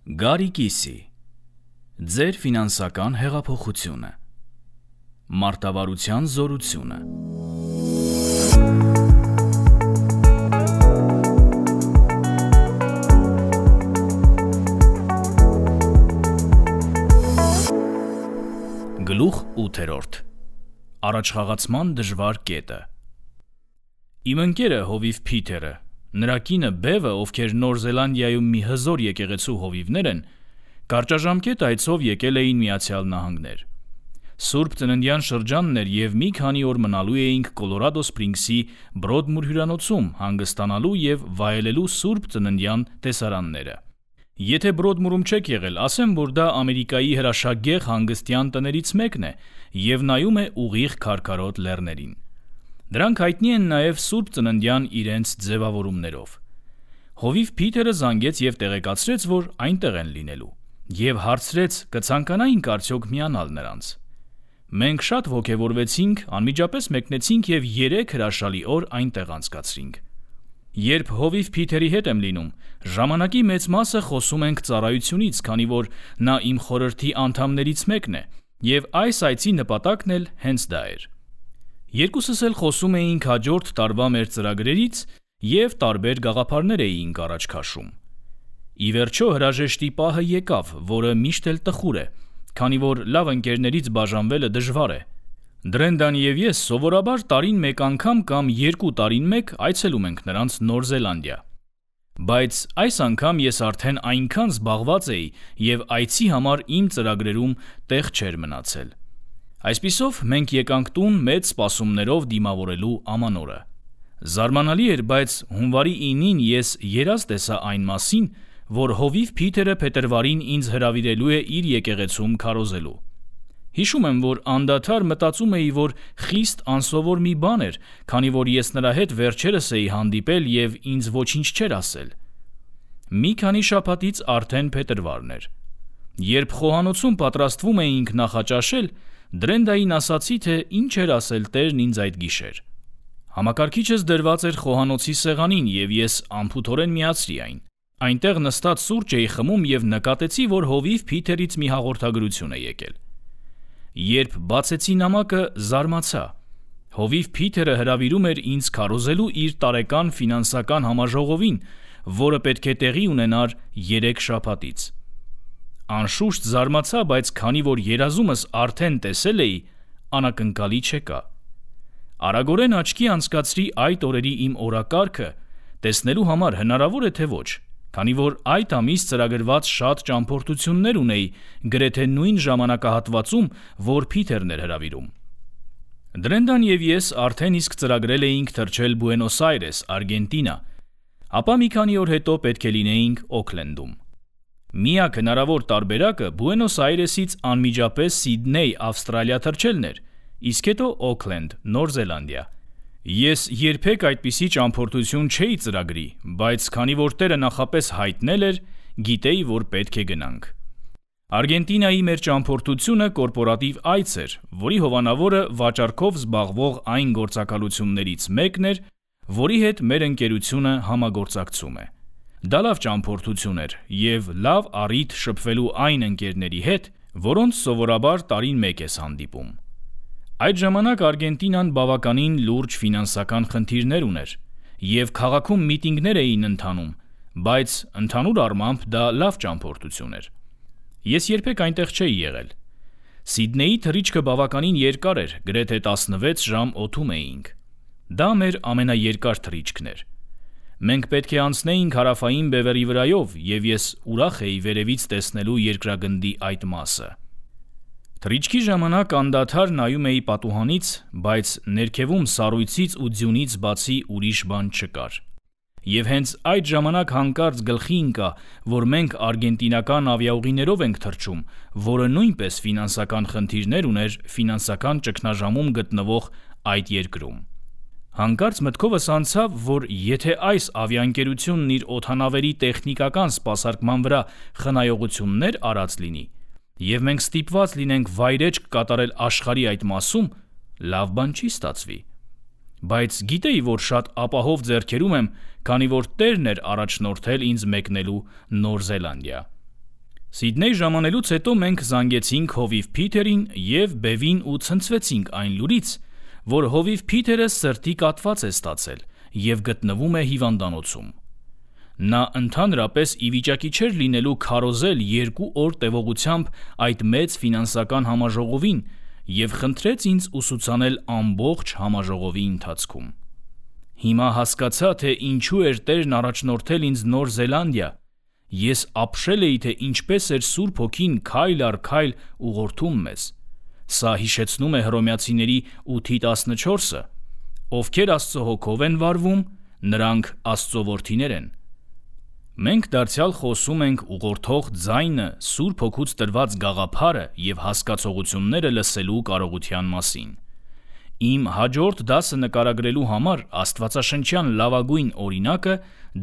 Գարի կիսի, ձեր ֆինանսական հեղափոխությունը, մարտավարության զորությունը։ Գլուխ 8. Առաջխաղացման դժվար կետը։ Իմ ընկերը հովիվ Փիթերը, նրա կինը Բևը, ովքեր Նոր Զելանդիայում մի հզոր եկեղեցու հովիվներ են, կարճաժամկետ այցով եկել էին Միացյալ Նահանգներ։ Սուրբ Ծննդյան շրջանն էր և մի քանի օր մնալու էինք Կոլորադո Սպրինգսի Բրոդմուր հյուրանոցում հանգստանալու և վայելելու Սուրբ Ծննդյան տեսարանները։ Եթե Բրոդմուրում չեք եղել, ասեմ, որ դա Ամերիկայի հրաշագեղ հանգստյան տներից մեկն է և նայում է ուղիղ քարքարոտ լեռներին։ Դրանք հայտնի են նաև Սուրբ Ծննդյան իրենց ձևավորումներով։ Հովիվ Փիթերը զանգեց և տեղեկացրեց, որ այնտեղ են լինելու, և հարցրեց կցանկանայինք արդյոք միանալ նրանց։ Մենք շատ ոգևորվեցինք, անմիջապես մեկնեցինք և 3 հրաշալի օր այնտեղ անցկացրինք։ Երբ հովիվ Փիթերի հետ եմ լինում, ժամանակի մեծ մասը խոսում ենք ծառայությունից, քանի որ նա իմ խորհրդի անդամներից մեկն է, և այս այցի նպատակն էլ հենց դա էր։ Երկուսս էլ խոսում էինք հաջորդ տարվա մեր ծրագրերից և տարբեր գաղափարներ էինք առաջ քաշում։ Ի վերջո հրաժեշտի պահը եկավ, որը միշտ էլ տխուր է, քանի որ լավ ընկերներից բաժանվելը դժվար է։ Դրենդան և ես սովորաբար տարին մեկ անգամ կամ 2 տարին մեկ այցելում ենք նրանց Նոր Զելանդիա։ Բայց այս անգամ ես արդեն այնքան զբաղված էի և այցի համար իմ ծրագրերում տեղ չէր մնացել։ Այսպիսով մենք եկանք տուն մեծ սպասումներով դիմավորելու ամանորը։ Զարմանալի էր, բայց հունվարի 9-ին ես երազ տեսա այն մասին, որ հովիվ Փիթերը փետրվարին ինձ հրավիրելու է իր եկեղեցում քարոզելու։ Հիշում եմ, որ անդադար մտածում էի, որ խիստ անսովոր մի բան էր, քանի որ ես նրա հետ վերջերս էի հանդիպել և ինձ ոչինչ չէր ասել։ Մի քանի շաբաթից արդեն փետրվարն էր։ Երբ խոհանոցում պատրաստվում էինք նախաճաշել, Դրենդային ասացի, թե ինչ էր ասել Տերն ինձ այդ գիշեր։ Համակարգիչս դրված էր խոհանոցի սեղանին և ես անփութորեն միացրի այն։ Այնտեղ նստած սուրճ էի խմում և նկատեցի, որ հովիվ Փիթերից մի հաղորդագրություն է եկել։ Երբ բացեցի նամակը, զարմացա։ Հովիվ Փիթերը հրավիրում էր ինձ քարոզելու իր տարեկան ֆինանսական համաժողովին, որը պետք է տեղի ունենար 3 շաբաթից։ Անշուշտ զարմացա, բայց քանի որ երազումս արդեն տեսել էի, անակնկալի չեկա։ Արագորեն աչքի անցկացրի այդ օրերի իմ օրակարգը, տեսնելու համար հնարավոր է թե ոչ, քանի որ այդ ամիս ծրագրված շատ ճամփորդություններ ունեի, գրեթե նույն ժամանակահատվածում, որ Փիթերն էր հրավիրում։ Դրենդան և ես արդեն իսկ ծրագրել էինք թռչել Բուենոս Այրես, Արգենտինա, ապա մի քանի օր հետո պետք է լինեինք Օքլենդում։ Միակ հնարավոր տարբերակը Բուենոս Այրեսից անմիջապես Սիդնեյ, Ավստրալիա թռչելն էր, իսկ հետո Օքլենդ, Նոր Զելանդիա։ Ես երբեք այդպիսի ճամփորդություն չէի ծրագրի, բայց քանի որ Տերը նախապես հայտնել էր, գիտեի, որ պետք է գնանք։ Արգենտինայի մեր ճամփորդությունը կորպորատիվ այց էր, որի հովանավորը վաճառքով զբաղվող այն գործակալություններից մեկն էր, որի հետ մեր ընկերությունը համագործակցում է։ Դա լավ ճամփորդություն էր և լավ առիթ շփվելու այն ընկերների հետ, որոնց սովորաբար տարին մեկ ես հանդիպում։ Այդ ժամանակ Արգենտինան բավականին լուրջ ֆինանսական խնդիրներ ուներ, և քաղաքում միտինգներ էին ընթանում, բայց ընդհանուր առմամբ դա լավ ճամփորդություն էր։ Ես երբեք այնտեղ չէի եղել։ Սիդնեյի թռիչքը բավականին երկար էր, գրեթե 16 ժամ օդում էինք։ Դա մեր ամենաերկար թռիչքն էր։ Մենք պետք է անցնեինք հարավային բևեռի վրայով, և ես ուրախ էի վերևից տեսնելու երկրագնդի այդ մասը։ Թռիչքի ժամանակ անդադար նայում էի պատուհանից, բայց ներքևում սառույցից ու ձյունից բացի ուրիշ բան չկար։ Եվ հենց այդ ժամանակ հանկարծ գլխի ընկա, որ մենք արգենտինական ավիաուղիներով ենք թռչում, որը նույնպես ֆինանսական խնդիրներ ուներ ֆինանսական ճգնաժամում գտնվող այդ երկրում։ Հանկարծ մտքովս անցավ, որ եթե այս ավիաընկերությունն իր օդանավերի տեխնիկական սպասարկման վրա խնայողություններ արած լինի, և մենք ստիպված լինենք վայրէջք կատարել աշխարհի այդ մասում, լավ բան չի ստացվի։ Բայց գիտեի, որ շատ ապահով ձեռքերում եմ, քանի որ Տերն էր առաջնորդել ինձ մեկնելու Նոր Զելանդիա։ Սիդնեյ ժամանելուց հետո մենք զանգեցինք հովիվ Փիթերին եւ Բևին ու ցնցվեցինք այն լուրից, որ հովիվ Փիթերը սրտի կաթված է ստացել եւ գտնվում է հիվանդանոցում։ Նա ընդհանրապես ի վիճակի չէր լինելու քարոզել 2 օր տևողությամբ այդ մեծ ֆինանսական համաժողովին եւ խնդրեց ինձ ուսուցանել ամբողջ համաժողովի ընթացքում։ Հիմա հասկացա, թե ինչու էր Տերն առաջնորդել ինձ Նոր Զելանդիա։ Ես ապշել էի, թե ինչպես էր Սուրբ Հոգին քայլ առ քայլ ուղղորդում մեզ։ Սա հիշեցնում է Հռոմեացիների 8:14-ը. ովքեր Աստծո հոգով են վարվում, նրանք Աստծո որդիներ են։ Մենք դարձյալ խոսում ենք ուղղորդող ձայնը, Սուրբ Հոգուց տրված գաղափարը եւ հասկացողությունները լսելու կարողության մասին։ Իմ հաջորդ դասը նկարագրելու համար աստվածաշնչյան լավագույն օրինակը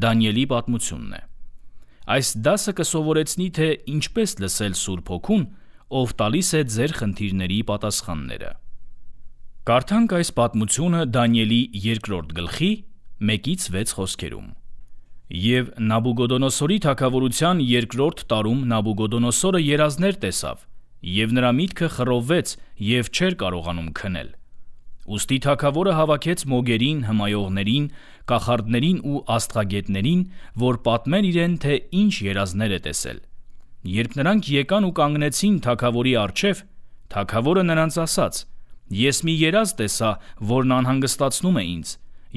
Դանիելի պատմությունն է։ Այս դասը կսովորեցնի, թե ինչպես լսել Սուրբ Հոգուն, ով տալիս է ձեր խնդիրների պատասխանները։ Կարդանք այս պատմությունը Դանիելի 2-րդ գլխի 1-6 խոսքերում։ Եվ Նաբուգոդոնոսորի թագավորության 2-րդ տարում Նաբուգոդոնոսորը երազներ տեսավ, եւ նրա միտքը խռովվեց եւ չէր կարողանում քնել։ Ուստի թագավորը հավաքեց մոգերին, հմայողներին, կախարդներին ու աստղագետներին, որ պատմեն իրեն, թե ինչ երազներ է տեսել։ Երբ նրանք եկան ու կանգնեցին թագավորի առջև, թագավորը նրանց ասաց. «Ես մի երազ տեսա, որն անհանգստացնում է ինձ,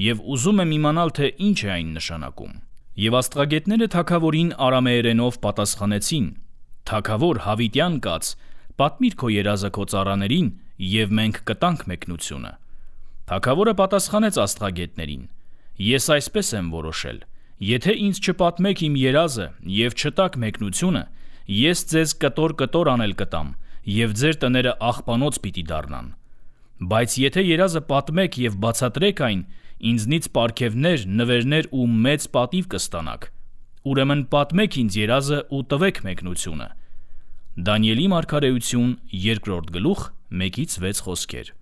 եւ ուզում եմ իմանալ, թե ինչ է այն նշանակում»։ Եվ աստղագետները թագավորին արամեերենով պատասխանեցին. «Թագավոր Հավիտյան կաց, պատմիր քո երազը քո ծառաներին, եւ մենք կտանք մեկնությունը»։ Թագավորը պատասխանեց աստղագետներին. «Ես այսպես եմ որոշել. եթե ինձ չպատմեք իմ երազը եւ չտաք մեկնությունը, ես ձեզ կտոր անել կտամ, եւ ձեր տները աղբանոց պիտի դառնան։ Բայց եթե երազը պատմեք եւ բացատրեք այն, ինձնից պարգևներ, նվերներ ու մեծ պատիվ կստանաք։ Ուրեմն պատմեք ինձ երազը ու տվեք մեկնությունը»։ Դանիելի մարգարեություն 2-րդ գլուխ 1-6 խոսքեր։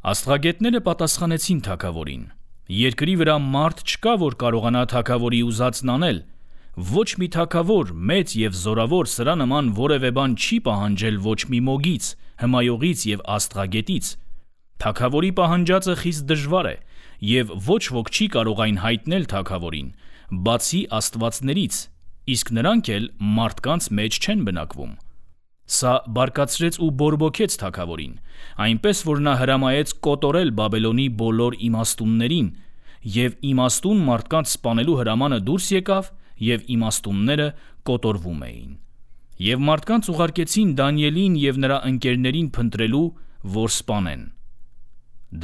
Աստղագետները պատասխանեցին թագավորին. «Երկրի վրա մարդ չկա, որ կարողանա թագավորի ուզածն անել։ Ոչ մի թագավոր, մեծ եւ զորավոր սրա նման որևէ բան չի պահանջել ոչ մի մոգից, հմայողից եւ աստղագետից։ Թագավորի պահանջածը խիստ դժվար է, եւ ոչ ոք չի կարող այն հայտնել թագավորին, բացի աստվածներից, իսկ նրանք էլ մարդկանց մեջ չեն բնակվում»։ Սա բարկացրեց ու բորբոքեց թագավորին, այնպես որ նա հրամայեց կոտորել Բաբելոնի բոլոր իմաստուններին, եւ իմաստուն մարդկանց սպանելու հրամանը դուրս եկավ, եւ իմաստունները կոտորվում էին։ Եվ մարդկանց ուղարկեցին Դանիելին եւ նրա ընկերներին փնտրելու, որ սպանեն։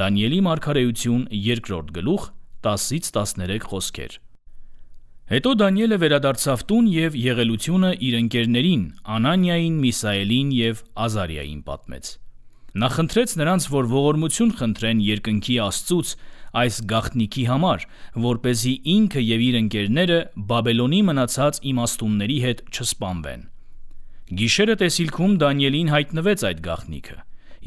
Դանիելի մարգարեություն 2-րդ գլուխ 10-13 խոսքեր։ Հետո Դանիելը վերադարձավ տուն եւ եղելությունը իր ընկերներին Անանիային, Միսաելին եւ Ազարիային պատմեց։ Նա խնդրեց նրանց, որ ողորմություն խնդրեն երկնքի Աստծուց այս գաղտնիքի համար, որպեսզի ինքը եւ իր ընկերները Բաբելոնի մնացած իմաստունների հետ չսպանվեն։ Գիշերը տեսիլքում Դանիելին հայտնվեց այդ գաղտնիքը,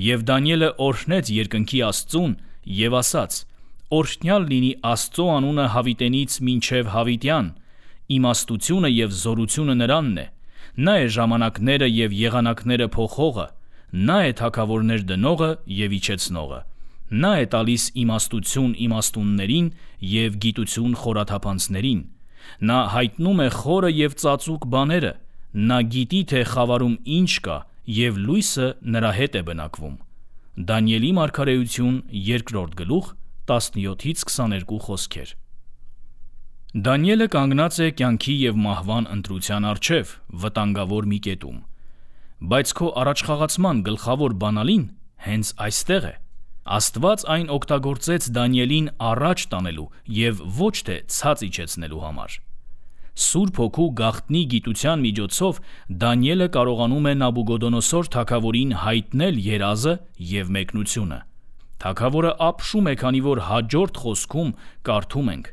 եւ Դանիելը օրհնեց երկնքի Աստծուն եւ ասաց. «Օրհնյալ լինի Աստծո անունը Հավիտենից մինչև Հավիտյան, իմաստությունը եւ զորությունը նրանն է, նա է ժամանակները եւ եղանակները փոխողը, նա է թագավորներ դնողը եւ իջեցնողը, նա է տալիս իմաստություն իմաստուններին եւ գիտություն խորաթափանցներին, նա հայտնում է խորը եւ ծածուկ բաները, նա գիտի, թե խավարում ինչ կա եւ լույսը նրա հետ է բնակվում»։ Դանիելի մարգարեություն 2-րդ գլուխ 17-22 խոսքեր։ Դանիելը կանգնած է կյանքի եւ մահվան ընտրության առջև, վտանգավոր մի կետում։ Բայց քո առաջխաղացման գլխավոր բանալին հենց այստեղ է։ Աստված այն օգտագործեց Դանիելին առաջ տանելու եւ ոչ թե ցած իջեցնելու համար։ Սուրբ Հոգու գաղտնի գիտության միջոցով Դանիելը կարողանում է Նաբուգոդոնոսոր թագավորին հայտնել երազը եւ մեկնությունը։ Թագավորը ապշում է, քանի որ հաջորդ խոսքում կարդում ենք.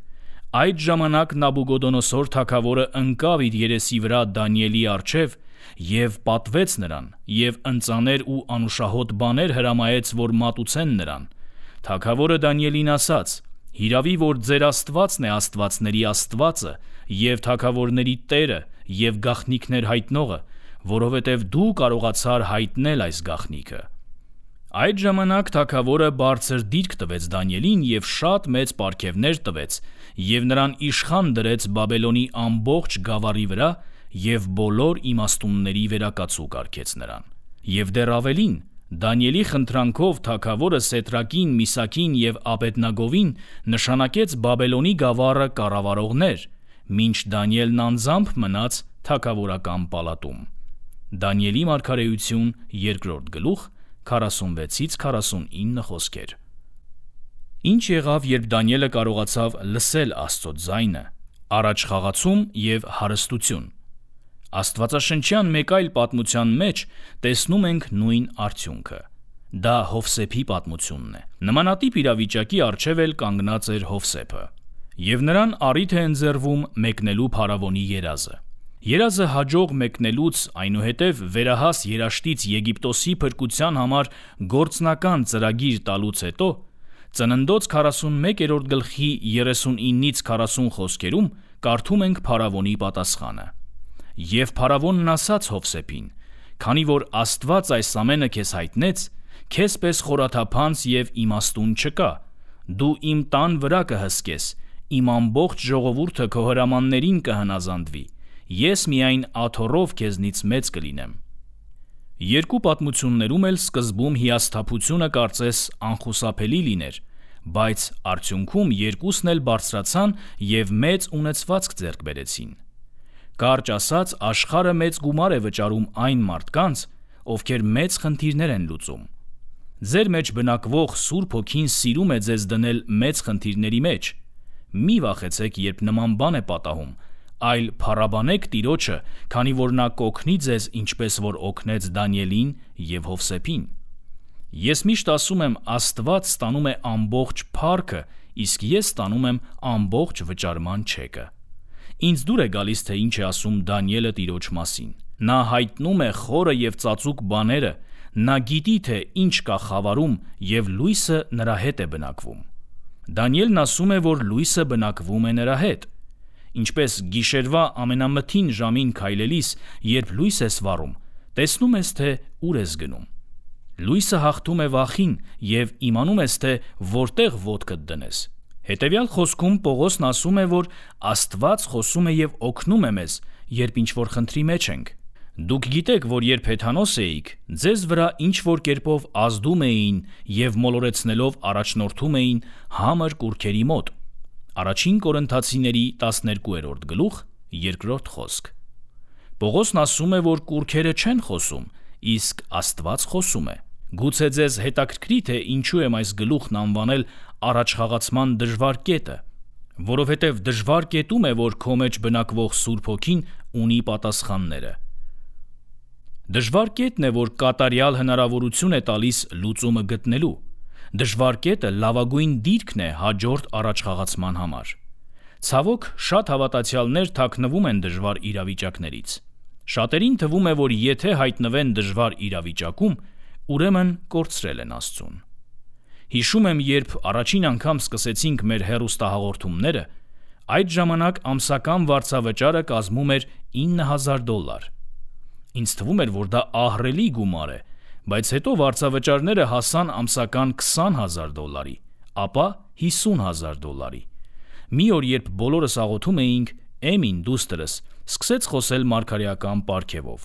«Այդ ժամանակ Նաբուգոդոնոսոր թագավորը ընկավ իր երեսի վրա Դանիելի առջև եւ պատվեց նրան եւ ընծաներ ու անուշահոտ բաներ հրամայեց, որ մատուցեն նրան։ Թագավորը Դանիելին ասաց. «Հիրավի որ ձեր Աստվածն է Աստվածների Աստվածը եւ թագավորների Տերը եւ գաղտնիքներ հայտնողը, որովհետև դու կարողացար հայտնել այս գաղտնիքը»։ Այդ ժամանակ թագավորը բարձր դիրք տվեց Դանիելին և շատ մեծ պարգևներ տվեց և նրան իշխան դրեց Բաբելոնի ամբողջ գավառի վրա և բոլոր իմաստունների վերակացու կարգեց նրան։ Եվ դեռ ավելին, Դանիելի խնդրանքով թագավորը Սեդրակին, Միսակին և Աբեդնագովին նշանակեց Բաբելոնի գավառը կառավարողներ, մինչ Դանիելն անձամբ մնաց թագավորական պալատում։ Դանիելի մարգարեություն 2-րդ գլուխ 46-49 խոսքեր։ Ինչ եղավ, երբ Դանիելը կարողացավ լսել Աստծո ձայնը, առաջխաղացում և հարստություն։ Աստվածաշնչյան մեկ այլ պատմության մեջ տեսնում ենք նույն արդյունքը։ Դա Հովսեփի պատմությունն է։ Նմանատիպ իրավիճակի առջև էլ կանգնած էր Հովսեփը։ Եվ նրան առիթ է ընձեռվում մեկնելու փարավոնի երազը։ Երազը հաջող մեկնելուց, այնուհետև վերահաս երաշտից Եգիպտոսի փրկության համար գործնական ծրագիր տալուց հետո, Ծննդոց 41-րդ գլխի 39-ից 40 խոսքերում կարդում ենք փարավոնի պատասխանը։ Եվ փարավոնն ասաց Հովսեփին. «Քանի որ Աստված այս ամենը քեզ հայտնեց, քեզ պես խորաթափանց և իմաստուն չկա, դու իմ տան վրա կհսկես, իմ ամբողջ ժողովուրդը քո հրամաններին կհնազանդվի, ես միայն աթոռով քեզնից մեծ կլինեմ»։ Երկու պատմություններում էլ սկզբում հիասթափությունը կարծես անխուսափելի լիներ, բայց արդյունքում երկուսն էլ բարձրացան և մեծ ունեցվածք ձեռք բերեցին։ Կարճ ասած, աշխարհը մեծ գումար է վճարում այն մարդկանց, ովքեր մեծ խնդիրներ են լուծում։ Ձեր մեջ բնակվող Սուրբ Հոգին սիրում է ձեզ դնել մեծ խնդիրների մեջ։ Մի վախեցեք, երբ նման բան է պատահում, այլ փառաբանեք Տիրոջը, քանի որ նա կօգնի ձեզ, ինչպես որ օգնեց Դանիելին և Հովսեփին։ Ես միշտ ասում եմ, Աստված ստանում է ամբողջ փառքը, իսկ ես ստանում եմ ամբողջ վճարման չեկը։ Ինձ դուր է գալիս, թե ինչ է ասում Դանիելը Տիրոջ մասին։ Նա հայտնում է խորը և ծածուկ բաները, նա գիտի, թե ինչ կա խավարում, և լույսը նրա հետ է բնակվում։ Դանիելն ասում է, որ լույսը բնակվում է նրա հետ։ Ինչպես գիշերվա ամենամթին ժամին քայլելիս, երբ լույս ես վառում, տեսնում ես, թե ուր ես գնում։ Լույսը հաղթում է վախին և իմանում ես, թե որտեղ ոտքդ դնես։ Հետևյալ խոսքում Պողոսն ասում է, որ Աստված խոսում է և օգնում է մեզ, երբ ինչ-որ խնդրի մեջ ենք։ Դուք գիտեք, որ երբ հեթանոս էիք, ձեզ վրա ինչ-որ կերպով ազդում էին և մոլորեցնելով առաջնորդում էին համր կուռքերի մոտ։ Առաջին Կորինթացիների 12-րդ գլուխ 2-րդ խոսք։ Պողոսն ասում է, որ կուռքերը չեն խոսում, իսկ Աստված խոսում է։ Գուցե ձեզ հետաքրքրի, թե ինչու եմ այս գլուխն անվանել առաջխաղացման դժվար կետը, որովհետև դժվար կետում է, որ քո մեջ բնակվող Սուրբ Հոգին ունի պատասխանները։ Դժվար կետն է, որ կատարյալ հնարավորություն է տալիս լուծումը գտնելու։ Դժվար կետը լավագույն դիրքն է հաջորդ առաջխաղացման համար։ Ցավոք, շատ հավատացյալներ թաքնվում են դժվար իրավիճակներից։ Շատերին թվում է, որ եթե հայտնվեն դժվար իրավիճակում, ուրեմն կորցրել են Աստծուն։ Հիշում եմ, երբ առաջին անգամ սկսեցինք մեր հեռուստահաղորդումները, այդ ժամանակ ամսական վարձավճարը կազմում էր $9,000։ Ինձ թվում էր, որ դա ահռելի գումար է, բայց հետո վարձավճարները հասան ամսական $20,000, ապա $50,000։ Մի օր, երբ բոլորս աղոթում էինք, Էմին, դուստրս, սկսեց խոսել մարգարեական պարգևով։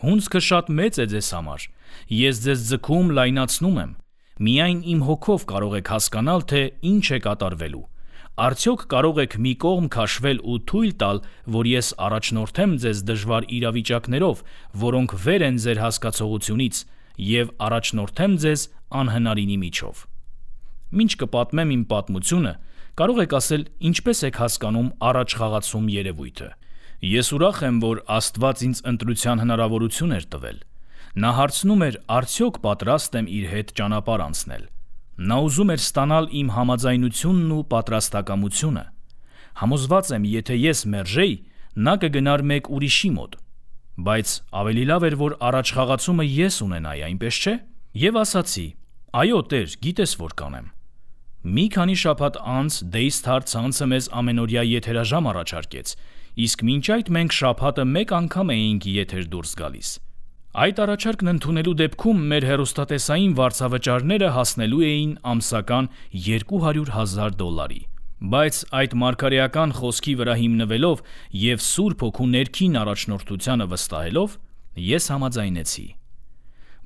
Հունձքը շատ մեծ է ձեզ համար, ես ձեզ ձգում լայնացնում եմ, միայն իմ հոգով կարող եք հասկանալ, թե ինչ է կատարվելու։ Արդյոք կարող եք մի կողմ քաշվել ու թույլ տալ, որ ես առաջնորդեմ ձեզ դժվար իրավիճակներով, որոնք վեր են ձեր հասկացողությունից, և առաջնորդեմ ձեզ անհնարինի միջով։ Մինչ կպատմեմ իմ պատմությունը, կարող եք ասել, ինչպես եք հասկանում առաջխաղացում երևույթը։ Ես ուրախ եմ, որ Աստված ինձ ընտրության հնարավորություն էր տվել։ Նա հարցնում էր, արդյոք պատրաստ եմ իր հետ ճանապարհ անցնել։ Նա ուզում էր ստանալ իմ համաձայնությունն ու պատրաստակամությունը։ Համոզված եմ, եթե ես մերժեի, նա կգնար մեկ ուրիշի մոտ։ Բայց ավելի լավ էր, որ առաջխաղացումը ես ունենայի, այնպես չէ՞։ Եվ ասացի. այո, Տեր, գիտես, որ կանեմ։ Մի քանի շաբաթ անց Daystar ցանցը մեզ ամենօրյա եթերաժամ առաջարկեց, իսկ մինչ այդ մենք շաբաթը մեկ անգամ էինք եթեր դուրս գալիս։ Այդ առաջարկն ընդունելու դեպքում մեր հեռուստատեսային վարձավճարները հասնելու էին ամսական $200,000, բայց այդ մարգարեական խոսքի վրա հիմնվելով եւ Սուրբ Հոգու ներքին առաջնորդությանը վստահելով ես համաձայնեցի։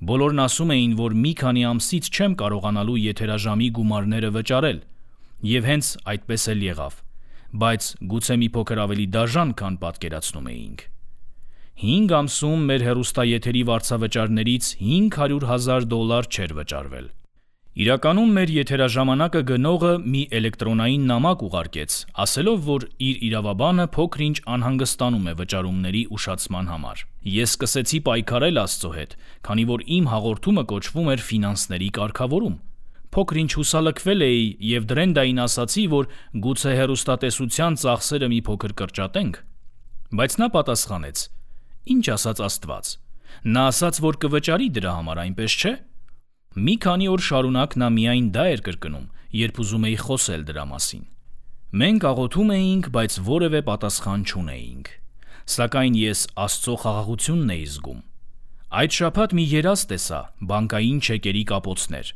Բոլորն ասում էին, որ մի քանի ամսից չեմ կարողանալու եթերաժամի գումարները վճարել, եւ հենց այդպես էլ եղավ, բայց գուցե մի փոքր ավելի դաժան, քան պատկերացնում էինք։ 5 ամսում մեր հեռուստաեթերի վարձավճարներից $500,000 չէր վճարվել։ Իրականում մեր եթերաժամանակը գնողը մի էլեկտրոնային նամակ ուղարկեց, ասելով, որ իր իրավաբանը փոքր-ինչ անհանգստանում է վճարումների ուշացման համար։ Ես սկսեցի պայքարել Աստծո հետ, քանի որ իմ հաղորդումը կոչվում էր ֆինանսների կարգավորում։ Փոքր-ինչ հուսալքվել էի եւ Դրենդային ասացի, որ գուցե հեռուստատեսության ծախսերը մի փոքր կրճատենք։ Բայց նա պատասխանեց. «Ինչ ասաց Աստված։ Նա ասաց, որ կվճարի դրա համար, այնպես չէ»։ Մի քանի օր շարունակ նա միայն դա էր կրկնում, երբ ուզում էի խոսել դրա մասին։ Մենք աղոթում էինք, բայց որևէ պատասխան չունեինք։ Սակայն ես Աստծո խաղաղությունն էի զգում։ Այդ շաբաթ մի երազ տեսա, բանկային չեկերի կապոցներ։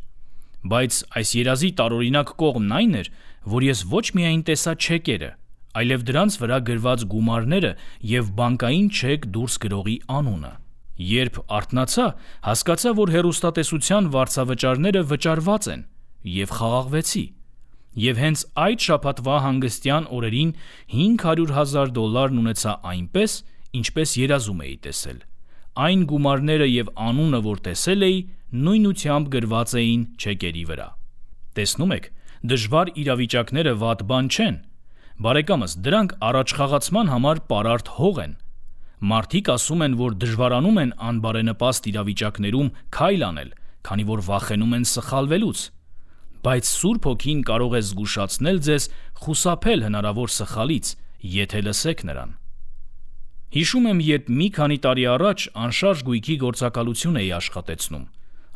Բայց այս երազի տարօրինակ կողմն այն էր, որ ես ոչ միայն տեսա չեկերը, այլև դրանց վրա գրված գումարները եւ բանկային չեք դուրս գրողի անունը։ Երբ արթնացա, հասկացա, որ հեռուստատեսության վարձավճարները վճարված են եւ խաղաղվեցի։ Եվ հենց այդ շաբաթվա հանգստյան օրերին $500,000 ունեցա այնպես, ինչպես երազում էի տեսել։ Այն գումարները եւ անունը, որ տեսել էի, նույնությամբ գրված էին չեկերի վրա։ Տեսնում եք, դժվար իրավիճակները վատ բան չեն։ Բարեկամս, դրանք առաջխաղացման համար պարարտ հող են։ Մարդիկ ասում են, որ դժվարանում են անբարենպաստ իրավիճակներում քայլ անել, քանի որ վախենում են սխալվելուց։ Բայց Սուրբ Հոգին կարող է զգուշացնել ձեզ խուսափել հնարավոր սխալից, եթե լսեք նրան։ Հիշում եմ, երբ մի քանի տարի առաջ անշարժ գույքի գործակալություն էի աշխատեցնում։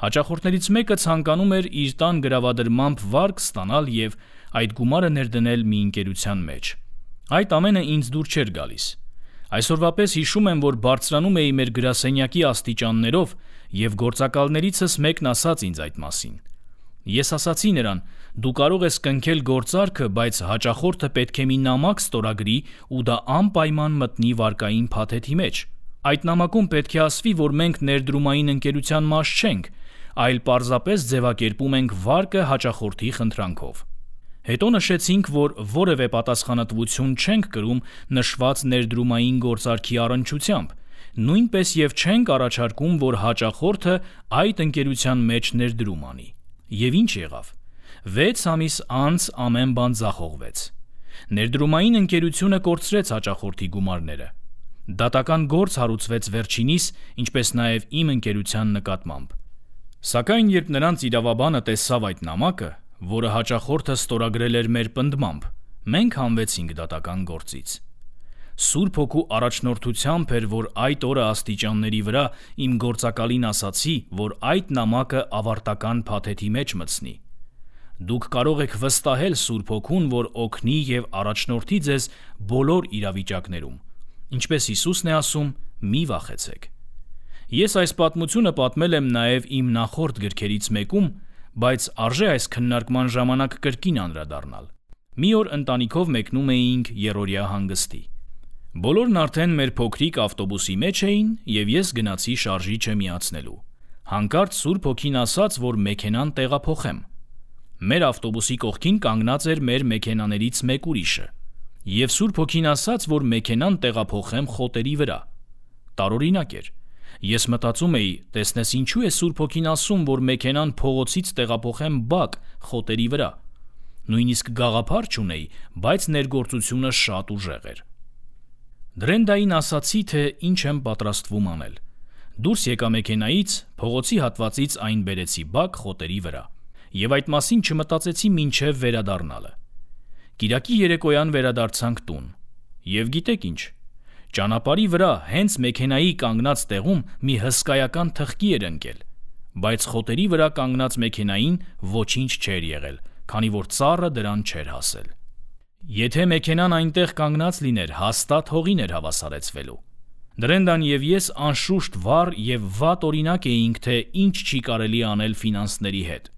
Հաճախորդներից մեկը ցանկանում էր իր տան գրավադրմամբ վարկ ստանալ եւ այդ գումարը ներդնել մի ընկերության մեջ։ Այդ ամենը ինձ դուր չէր գալիս։ Այսօրվա պես հիշում եմ, որ բարձրանում էի մեր գրասենյակի աստիճաններով եւ գործակալներիցս մեկն ասաց ինձ այդ մասին։ Ես ասացի նրան. «Դու կարող ես կնքել գործարքը, բայց հաճախորդը պետք է մի նամակ ստորագրի ու դա անպայման մտնի վարկային փաթեթի մեջ։ Այդ նամակում պետք է ասվի, որ մենք ներդրումային ընկերության մաս չենք, այլ պարզապես ձևակերպում ենք վարկը հաճախորդի խնդրանքով»։ Հետո նշեցինք, որ որևէ պատասխանատվություն չենք կրում նշված ներդրումային գործարքի առնչությամբ, նույնպես եւ չենք առաջարկում, որ հաճախորդը այդ ընկերության մեջ ներդրում անի։ Եվ ինչ եղավ։ 6 ամիս անց ամեն բան ձախողվեց։ Ներդրումային ընկերությունը կորցրեց հաճախորդի գումարները։ Դատական գործ հարուցվեց վերջինիս, ինչպես նաեւ իմ ընկերության նկատմամբ։ Սակայն երբ նրանց իրավաբանը տեսավ այդ նամակը, որը հաճախորդը ստորագրել էր մեր պնդմամբ, մենք հանվեցինք դատական գործից։ Սուրբ Հոգու առաջնորդությամբ էր, որ այդ օրը աստիճանների վրա իմ գործակալին ասացի, որ այդ նամակը ավարտական փաթեթի մեջ մտցնի։ Դուք կարող եք վստահել Սուրբ Հոգուն, որ օգնի եւ առաջնորդի ձեզ բոլոր իրավիճակներում։ Ինչպես Հիսուսն է ասում, մի վախեցեք։ Ես այս պատմությունը պատմել եմ նաեւ իմ նախորդ գրքերից մեկում, բայց արժե այս քննարկման ժամանակ կրկին անդրադառնալ։ Մի օր ընտանիքով մեկնում էինք երրորդյա հանգստի։ Բոլորն արդեն մեր փոքրիկ ավտոբուսի մեջ էին եւ ես գնացի շարժիչը միացնելու։ Հանկարծ Սուրբ Հոգին ասաց, որ մեքենան տեղափոխեմ։ Մեր ավտոբուսի կողքին կանգնած էր մեր մեքենաներից մեկ ուրիշը։ Եվ Սուրբ Հոգին ասաց, որ մեքենան տեղափոխեմ խոտերի վրա։ Տարօրինակ էր։ Ես մտածում էի, տեսնես ինչու է Սուրբ Հոգին ասում, որ մեքենան փողոցից տեղափոխեմ բակ խոտերի վրա։ Նույնիսկ գաղափար չունեի, բայց ներգործությունը շատ ուժեղ էր։ Դրենդային ասացի, թե ինչ եմ պատրաստվում անել։ Դուրս եկա մեքենայից, փողոցի հատվածից այն բերեցի բակ խոտերի վրա, եւ այդ մասին չմտածեցի մինչեւ վերադառնալը։ Կիրակի երեկոյան վերադարձանք տուն, եւ գիտեք ինչ, ճանապարհի վրա հենց մեքենայի կանգնած տեղում մի հսկայական թխկի էր ընկել, բայց խոտերի վրա կանգնած մեքենային ոչինչ չէր եղել, քանի որ ծառը դրան չէր հասել։ Եթե մեքենան այնտեղ կանգնած լիներ, հաստատ հողին էր հավասարեցվելու։ Դրենդան եւ ես անշուշտ վառ եւ վատ օրինակ էինք, թե ինչ չի կարելի անել ֆինանսների հետ,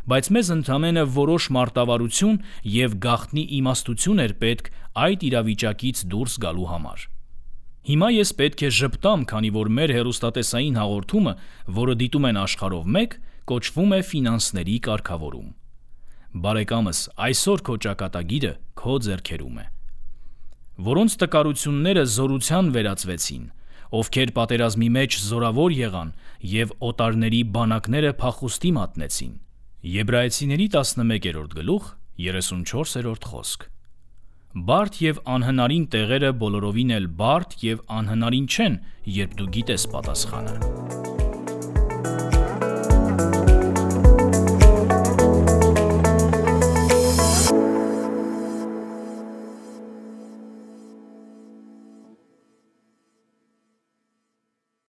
բայց մեզ ընդամենը որոշ մարտավարություն եւ գաղտնի իմաստություն էր պետք այդ իրավիճակից դուրս գալու համար։ Հիմա ես պետք է ժպտամ, քանի որ մեր հեռուստատեսային հաղորդումը, որը դիտում են աշխարհով մեկ, կոչվում է ֆինանսների կարգավորում։ Բարեկամս, այսօր քո ճակատագիրը քո ձեռքերում է։ Որոնց տկարությունները զորության վերածվեցին, ովքեր պատերազմի մեջ զորավոր եղան եւ օտարների բանակները փախուստի մատնեցին։ Եբրայեցիների 11-րդ գլուխ 34-րդ խոսք։ Բարդ եւ անհնարին տեղերը բոլորովին էլ բարդ եւ անհնարին չեն, երբ դու գիտես պատասխանը։